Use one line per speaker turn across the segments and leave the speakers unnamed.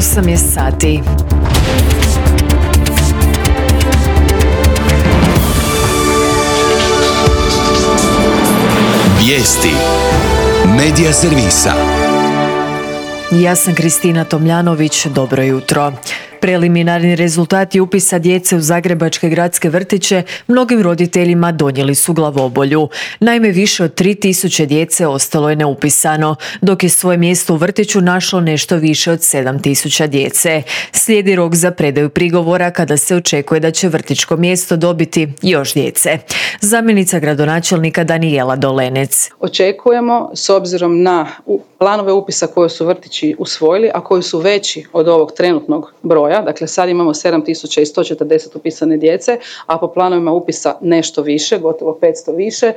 8 je sati.
Vijesti Medija servisa.
Ja sam Kristina Tomljanović, dobro jutro. Preliminarni rezultati upisa djece u zagrebačke gradske vrtiće mnogim roditeljima donijeli su glavobolju. Naime, više od 3000 djece ostalo je neupisano, dok je svoje mjesto u vrtiću našlo nešto više od 7000 djece. Slijedi rok za predaju prigovora kada se očekuje da će vrtićko mjesto dobiti još djece. Zamjenica gradonačelnika Danijela Dolenec.
Očekujemo, s obzirom na planove upisa koje su vrtići usvojili, a koji su veći od ovog trenutnog broja, dakle sad imamo 7140 upisane djece, a po planovima upisa nešto više, gotovo 500 više,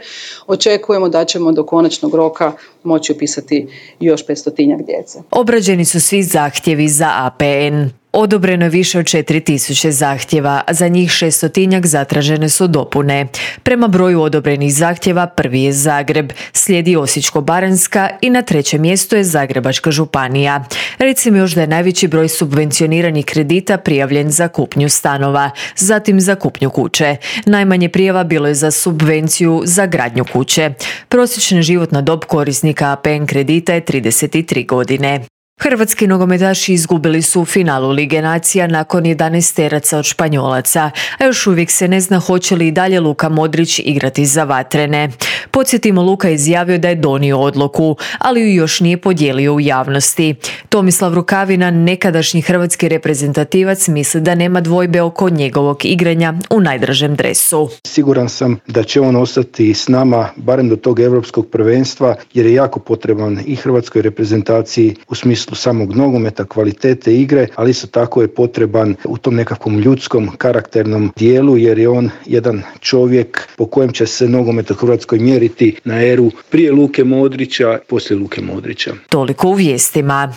očekujemo da ćemo do konačnog roka moći upisati još 500-tinjak djece.
Obrađeni su svi zahtjevi za APN. Odobreno je više od 4000 zahtjeva, a za njih 600-tinjak zatražene su dopune. Prema broju odobrenih zahtjeva prvi je Zagreb, slijedi Osječko-baranjska i na trećem mjestu je Zagrebačka županija. Recimo još da je najveći broj subvencioniranih kredita prijavljen za kupnju stanova, zatim za kupnju kuće. Najmanje prijava bilo je za subvenciju za gradnju kuće. Prosječna životna dob korisnika APN kredita je 33 godine. Hrvatski nogometaši izgubili su u finalu Lige nacija nakon 11 teraca od Španjolaca, a još uvijek se ne zna hoće li i dalje Luka Modrić igrati za vatrene. Podsjetimo, Luka je izjavio da je donio odluku, ali ju još nije podijelio u javnosti. Tomislav Rukavina, nekadašnji hrvatski reprezentativac, misli da nema dvojbe oko njegovog igranja u najdražem dresu.
Siguran sam da će on ostati s nama barem do tog europskog prvenstva, jer je jako potreban i hrvatskoj reprezentaciji u smislu samog nogometa, kvalitete igre, ali isto tako je potreban u tom nekakvom ljudskom, karakternom dijelu, jer je on jedan čovjek po kojem će se nogomet u Hrvatskoj mjeriti na eru prije Luke Modrića, poslije Luke Modrića.
Toliko u vijestima.